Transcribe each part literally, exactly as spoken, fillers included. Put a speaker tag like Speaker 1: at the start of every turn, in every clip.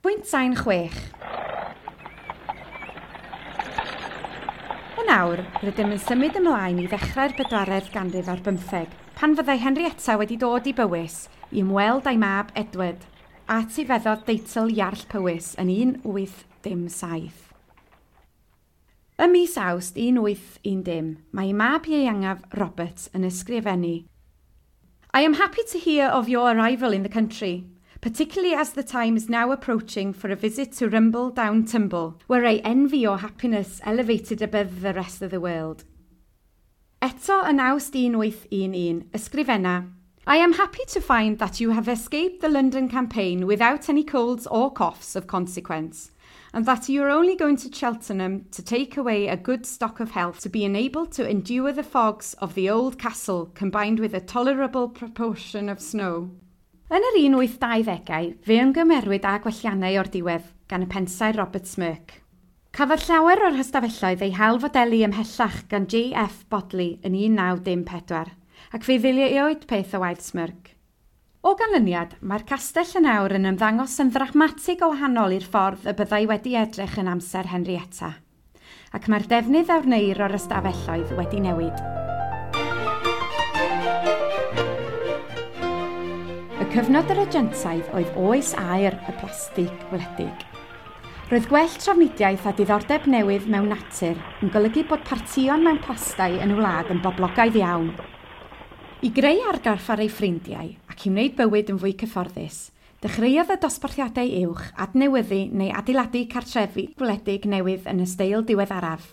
Speaker 1: Pwynt sain chwech. Yn awr, rydym yn symud ymlaen i ddechrau'r bedwaredd ganrif ar bymtheg, pan fyddai Henrietta wedi dod i Bywys i ymweld â'i mab Edward, a etifeddodd deitl Iarll Powys yn un wyth dim saith. Ym mis Awst un wyth un dim, mae ei mab ieuengaf Robert yn ysgrifennu I am happy to hear of your arrival in the country, particularly as the time is now approaching for a visit to Rumble Down Tumble, where I envy your happiness elevated above the rest of the world. Eto yn Awst un wyth un un, ysgrifenna, I am happy to find that you have escaped the London campaign without any colds or coughs of consequence, and that you are only going to Cheltenham to take away a good stock of health to be enabled to endure the fogs of the old castle combined with a tolerable proportion of snow. Yn yr un wyth dauddegau, fe ymgymerwyd â gwelliannau o'r diwedd gan y pensaer Robert Smirke. Cafodd llawer o'r hystafelloedd eu hailfodelu ymhellach gan J F Bodley yn un naw dim pedwar, ac fe ddileuwyd peth o waith Smirke. O ganlyniad, mae'r castell yn awr yn ymddangos yn ddramatig o wahanol i'r ffordd y byddai wedi edrych yn amser Henrietta, ac mae'r defnydd a wneir o'r ystafelloedd wedi newid. Y cyfnod yr agentaidd oedd oes aur y plastig wledig. Roedd gwell trafnidiaeth a diddordeb newydd mewn natur yn golygu bod partïon mewn plastai yn y wlad yn boblogaidd iawn. I greu argraff ar ei ffrindiau ac i wneud bywyd yn fwy cyfforddus, dechreuodd y dosbarthiadau uwch adnewyddu neu adeiladu cartrefi gwledig newydd yn y steil diweddaraf.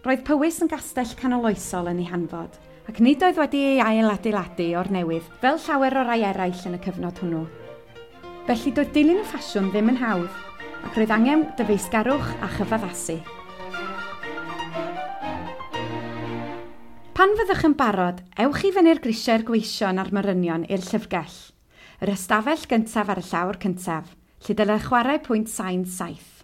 Speaker 1: Roedd Powys yn gastell canoloesol yn ei hanfod, ac nid oedd wedi ei ailadeiladu o'r newydd fel llawer o rai eraill yn y cyfnod hwnnw. Felly doedd dilyn y ffasiwn ddim yn hawdd, ac roedd angen dyfeisgarwch a chyfaddasu. Pan fyddwch yn barod, ewch i fyny'r grisiau'r gweision a'r morynion i'r llyfrgell, yr ystafell gyntaf ar y llawr cyntaf, lle dylai chwarae pwynt sain saith.